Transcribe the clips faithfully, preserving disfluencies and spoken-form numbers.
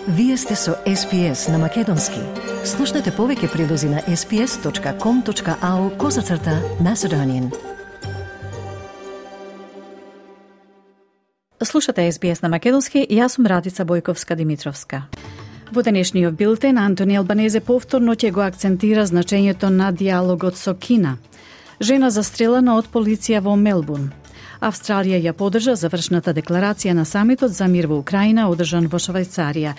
Вие сте со Ес Би Ес на Македонски. Слушнете повеќе прилози на ес би ес точка ком точка ау козацрта Macedonian. Слушате Ес Би Ес на Македонски, јас сум Радица Бојковска-Димитровска. Во денешниот билтен, Антони Албанезе повторно ќе го акцентира значењето на диалогот со Кина. Жена застрелена од полиција во Мелбурн. Австралија ја поддржа завршната декларација на самитот за мир во Украина, одржан во Швајцарија.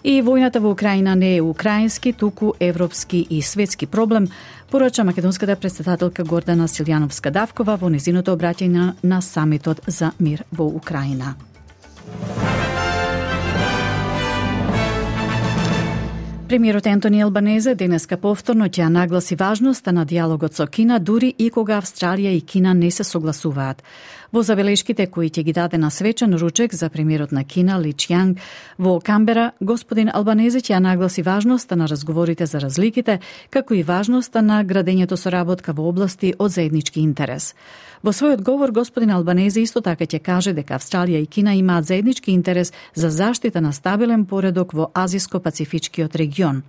И војната во Украина не е украински, туку европски и светски проблем, порача македонската претседателка Гордана Силјановска-Давкова во незиното обраќање на самитот за мир во Украина. Премиерот Антони Албанезе денеска повторно ќе нагласи важноста на диалогот со Кина, дури и кога Австралија и Кина не се согласуваат. Во забелешките кои ќе ги даде на свечен ручек за премиерот на Кина Ли Чјанг во Камбера, господин Албанезе ќе нагласи важноста на разговорите за разликите, како и важноста на градењето соработка во области од заеднички интерес. Во својот говор, господин Албанезе исто така ќе каже дека Австралија и Кина имаат заеднички интерес за заштита на стабилен поредок во Азиско-Пацифичкиот регион.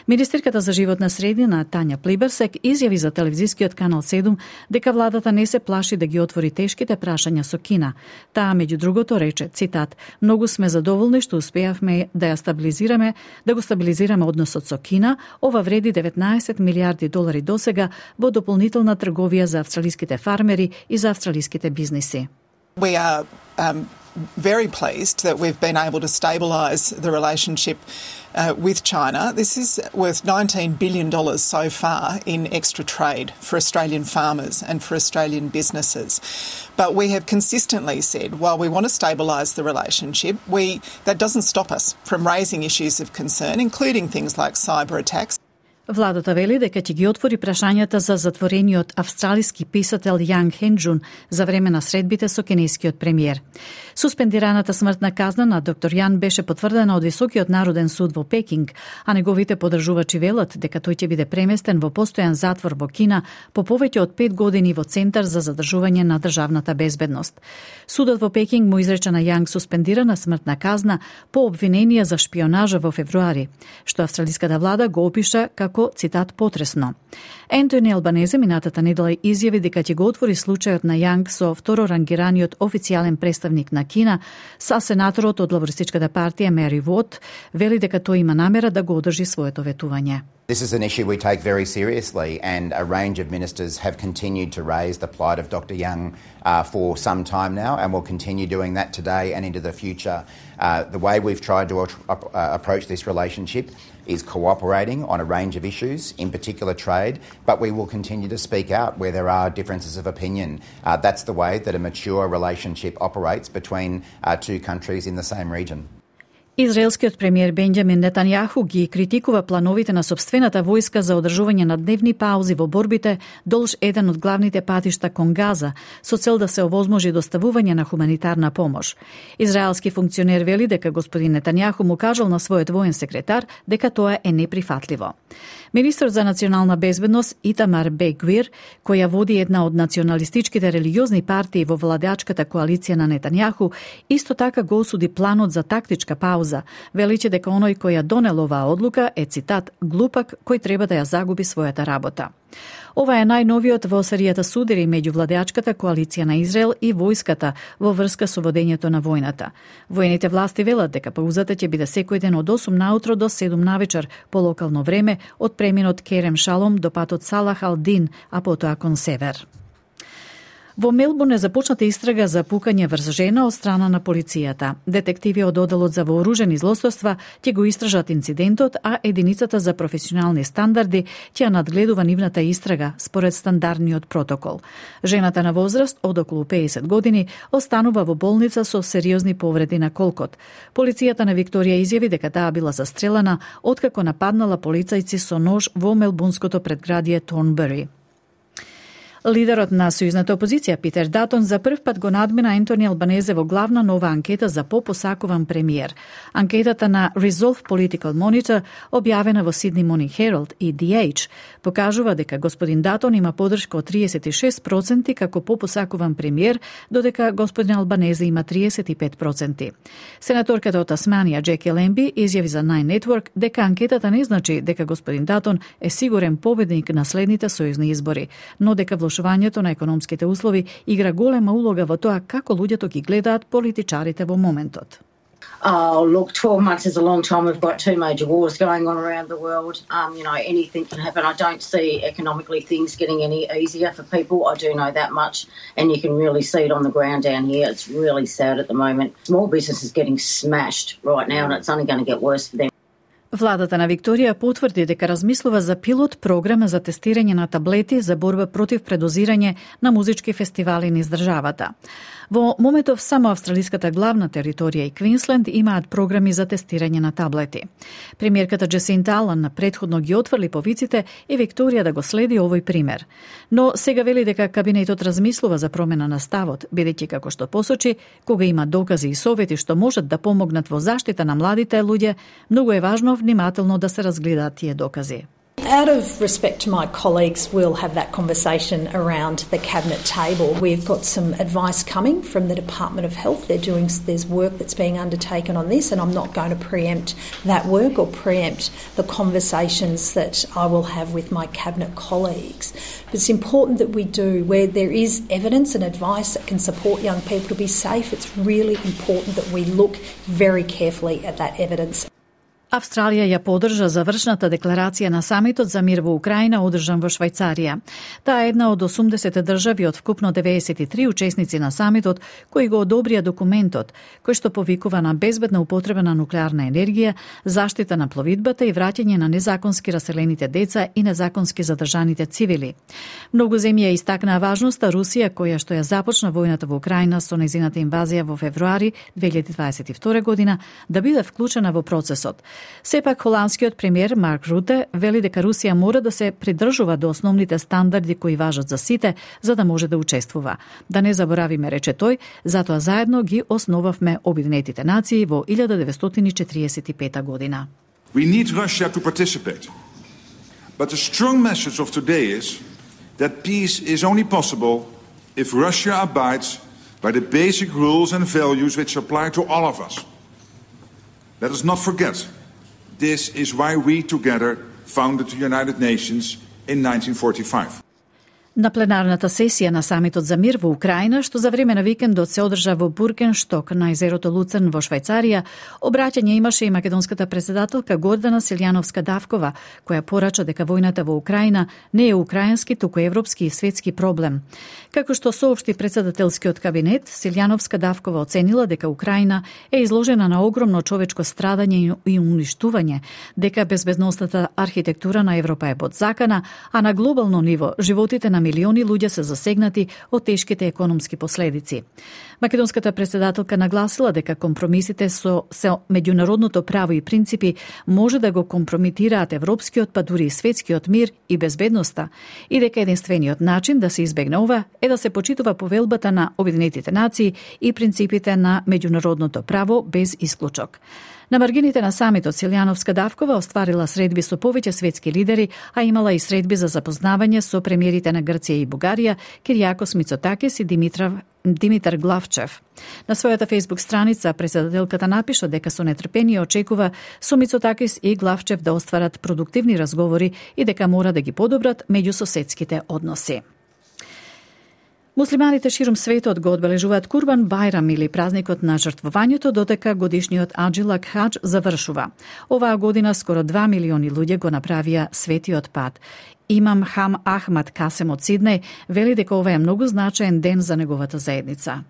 Министерката за животна средина Тања Плиберсек изјави за телевизискиот канал седум дека владата не се плаши да ги отвори тешките прашања со Кина. Таа меѓу другото рече, цитат: "Многу сме задоволни што успеавме да ја стабилизираме, да го стабилизираме односот со Кина. Ова вреди деветнаесет милијарди долари досега во дополнителна трговија за австралиските фармери и за австралиските бизниси." We are um, very pleased that we've been able to stabilise the relationship uh, with China. This is worth nineteen billion dollars so far in extra trade for Australian farmers and for Australian businesses. But we have consistently said, while we want to stabilise the relationship, we that doesn't stop us from raising issues of concern, including things like cyber attacks. Владата вели дека ќе ги отвори прашањата за затворениот австралиски писател Јанг Хенџун за време на средбите со кинескиот премиер. Суспендираната смртна казна на доктор Јан беше потврдена од Високиот народен суд во Пекинг, а неговите поддржувачи велат дека тој ќе биде преместен во постојан затвор во Кина по повеќе од пет години во Центар за задржување на државната безбедност. Судот во Пекинг му изрече на Јанг суспендирана смртна казна по обвиненија за шпионажа во февруари, што австралиската влада го опиша како цитат потресно. Антони Албанезе минатата недела изјави дека ќе го отвори случајот на Јанг со второрангираниот официјален представник на Кина, са сенаторот од лабористичката партија Мери Вот, вели дека тој има намера да го одржи своето ветување. This is an issue we take very seriously, and a range of ministers have continued to raise the plight of Doctor Young uh, for some time now, and will continue doing that today and into the future. Uh, the way we've tried to uh, approach this relationship is cooperating on a range of issues, in particular trade, but we will continue to speak out where there are differences of opinion. Uh, that's the way that a mature relationship operates between uh, two countries in the same region. Израелскиот премиер Бенџамин Нетањаху ги критикува плановите на сопствената војска за одржување на дневни паузи во борбите долж еден од главните патишта кон Газа, со цел да се овозможи доставување на хуманитарна помош. Израелски функционер вели дека господин Нетањаху му кажал на својот воен секретар дека тоа е неприфатливо. Министрот за национална безбедност Итамар Бен-Гвир, која води една од националистичките религиозни партии во владеачката коалиција на Нетањаху, исто така го осуди планот за тактичка пауза. Величе дека оној кој ја донел оваа одлука е, цитат, глупак кој треба да ја загуби својата работа. Ова е најновиот во серијата судири меѓу владеачката коалиција на Израел и војската во врска со водењето на војната. Воените власти велат дека паузата ќе биде секој ден од осум наутро до седум навечер по локално време, од преминот Керем Шалом до патот Салах ал-Дин, а потоа кон север. Во Мелбурн е започната истрага за пукање врз жена од страна на полицијата. Детективи од Оделот за вооружени злосторства ќе го истражат инцидентот, а единицата за професионални стандарди ќе ја надгледува нивната истрага според стандардниот протокол. Жената на возраст од околу педесет години останува во болница со сериозни повреди на колкот. Полицијата на Викторија изјави дека таа била застрелена откако нападнала полицајци со нож во мелбурнското предградие Торнбери. Лидерот на сојузната опозиција Питер Датон за прв пат го надмина Ентони Албанезе во главна нова анкета за попосакуван премиер. Анкетата на Resolve Political Monitor, објавена во Sydney Morning Herald и The Age, покажува дека господин Датон има подршка од триесет и шест проценти како попосакуван премиер, додека господин Албанезе има триесет и пет проценти. Сенаторката од Тасманија Джеки Лемби изјави за Nine Network дека анкетата не значи дека господин Датон е сигурен победник на следните сојузни избори, но дека влошувањето на економските услови игра голема улога во тоа како луѓето ги гледаат политичарите во моментот. Oh, look, twelve months is a long time. We've got two major wars going on around the world. Um, you know, anything can happen. I don't see economically things getting any easier for people. I do know that much. And you can really see it on the ground down here. It's really sad at the moment. Small business is getting smashed right now, and it's only going to get worse for them. Владата на Викторија потврди дека размислува за пилот програма за тестирање на таблети за борба против предозирање на музички фестивали низ државата. Во моментов само австралиската главна територија и Квинсленд имаат програми за тестирање на таблети. Премиерката Джесинта Алан предходно ги отврли повиците и Викторија да го следи овој пример. Но сега вели дека кабинетот размислува за промена на ставот, бидејќи како што посочи, кога има докази и совети што можат да помогнат во заштита на младите луѓе, многу е важно внимателно да се разгледаат тие докази. Out of respect to my colleagues, we'll have that conversation around the cabinet table. We've got some advice coming from the Department of Health. They're doing, there's work that's being undertaken on this, and I'm not going to preempt that work or preempt the conversations that I will have with my cabinet colleagues. But it's important that we do, where there is evidence and advice that can support young people to be safe, it's really important that we look very carefully at that evidence. Австралија ја поддржа завршната декларација на самитот за мир во Украина одржан во Швајцарија. Таа е една од осумдесет држави од вкупно деветдесет и три учесници на самитот кои го одобрија документот, кој што повикува на безбедна употреба на нуклеарна енергија, заштита на пловидбата и враќање на незаконски раселените деца и незаконски задржаните цивили. Многу земји ја истакнаа важноста Русија, која што ја започна војната во Украина со нејзината инвазија во февруари две илјади дваесет и втора година, да биде вклучена во процесот. Сепак, холандскиот премиер Марк Руте вели дека Русија мора да се придржува до основните стандарди кои важат за сите, за да може да учествува. Да не заборавиме, рече тој, затоа заедно ги основавме Обединетите нации во илјада деветстотини четириесет и пета година. We need Russia to participate. But the strong message of today is that peace is only possible if Russia abides by the basic rules and values which apply to all of us. Let us not forget, this is why we together founded the United Nations in nineteen forty-five. На пленарната сесија на самитот за мир во Украина, што за време на викендот се одржа во Бургеншток на езерото Луцерн во Швајцарија, обраќање имаше и македонската председателка Гордана Силјановска-Давкова, која порача дека војната во Украина не е украински, туку европски и светски проблем. Како што соопшти председателскиот кабинет, Силјановска-Давкова оценила дека Украина е изложена на огромно човечко страдање и уништување, дека безбедносната архитектура на Европа е подзакана, а на глобално ниво животите на милиони луѓе се засегнати од тешките економски последици. Македонската председателка нагласила дека компромисите со, со меѓународното право и принципи може да го компромитираат европскиот, па дури и светскиот мир и безбедноста, и дека единствениот начин да се избегне ова е да се почитува повелбата на Обединетите нации и принципите на меѓународното право без исклучок. На маргините на самитот Силјановска-Давкова остварила средби со повеќе светски лидери, а имала и средби за запознавање со премиерите на Грција и Бугарија, Киријакос Мицотакис и Димитрав, Димитар Главчев. На својата фејсбук страница председателката напиша дека со нетрпение очекува со Мицотакис и Главчев да остварат продуктивни разговори и дека мора да ги подобрат меѓусоседските односи. Муслиманите ширум светот го одбележуваат Курбан Бајрам или празникот на жртвувањето, додека годишниот Аџилак Хадж завршува. Оваа година скоро два милиони луѓе го направија светиот пат. Имам Хам Ахмад Касем од Сиднеј вели дека ова е многу значаен ден за неговата заедница.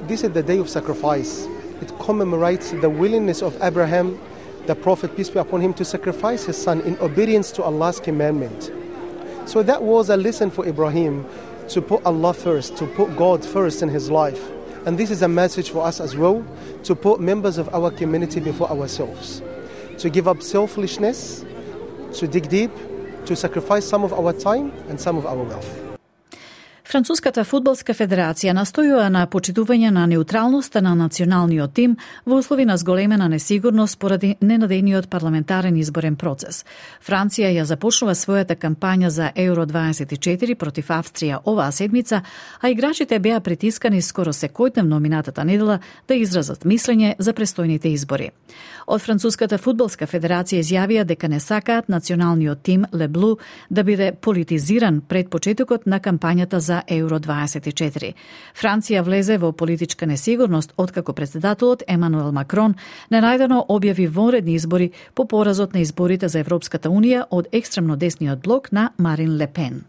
This is the day of sacrifice. It commemorates the willingness of Abraham, the prophet, peace be upon him, to sacrifice his son in obedience to Allah's commandment. So that was a lesson for Ibrahim, to put Allah first, to put God first in his life. And this is a message for us as well, to put members of our community before ourselves, to give up selfishness, to dig deep, to sacrifice some of our time and some of our wealth. Француската фудбалска федерација настојува на почитување на неутралноста на националниот тим во услови на зголемена несигурност поради ненадејниот парламентарен изборен процес. Франција ја започнува својата кампања за Евро дваесет и четири против Австрија оваа седмица, а играчите беа притискани скоро секојдневно минатата недела да изразат мислење за престојните избори. Од Француската фудбалска федерација изјавија дека не сакаат националниот тим Ле Блу да биде политизиран пред почетокот на кампањата за Евро дваесет и четири. Франција влезе во политичка несигурност откако претседателот Емануел Макрон ненајдено објави вонредни избори по поразот на изборите за Европската унија од екстремно десниот блок на Марин Ле Пен.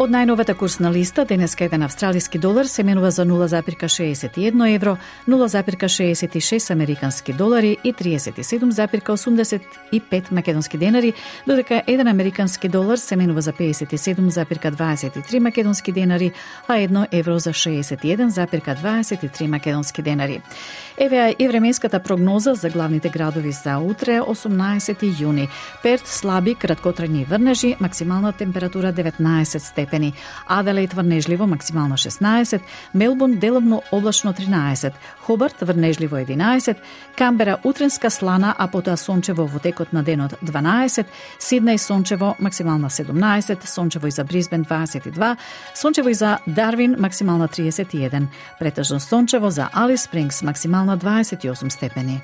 Од најновата курсна листа, денеска еден австралиски долар се менува за нула запирка шеесет и едно евро, нула запирка шеесет и шест американски долари и триесет и седум запирка осумдесет и пет македонски денари, додека еден американски долар се менува за пеесет и седум запирка дваесет и три македонски денари, а едно евро за шеесет и еден запирка дваесет и три македонски денари. Еве и временската прогноза за главните градови за утре, осумнаесети јуни. Перт слаби краткотрајни врнежи, максимална температура деветнаесет степени. Аделаид врнежливо, максимално шеснаесет. Мелбурн деловно облачно тринаесет. Хобарт врнежливо единаесет. Камбера утренска слана, а потоа сончево во текот на денот дванаесет. Сиднеј сончево, максимална седумнаесет. Сончево и за Брисбен дваесет и два. Сончево и за Дарвин, максимална триесет и еден. Претежно сончево за Алис Спрингс, максимална на дваесет и осум степени.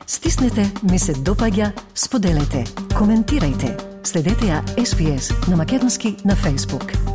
Стиснете, ми се допаѓа, споделете, коментирајте. Следете ја Ес Би Ес на македонски на Facebook.